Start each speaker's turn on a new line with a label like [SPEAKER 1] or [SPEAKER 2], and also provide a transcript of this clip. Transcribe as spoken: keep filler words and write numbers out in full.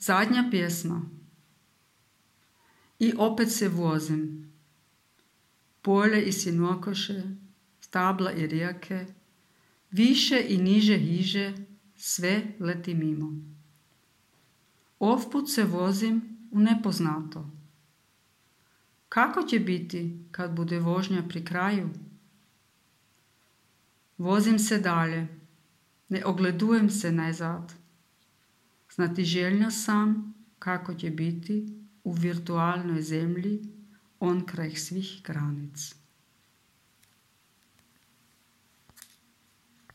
[SPEAKER 1] Zadnja pjesma. I opet se vozim. Polje i sinokoše, stabla i rijeke, više i niže hiže, sve leti mimo. Ovput se vozim u nepoznato. Kako će biti kad bude vožnja pri kraju? Vozim se dalje, ne ogledujem se nazad. Znatiželjna sam kako će biti u virtualnoj zemlji onkraj svih granic.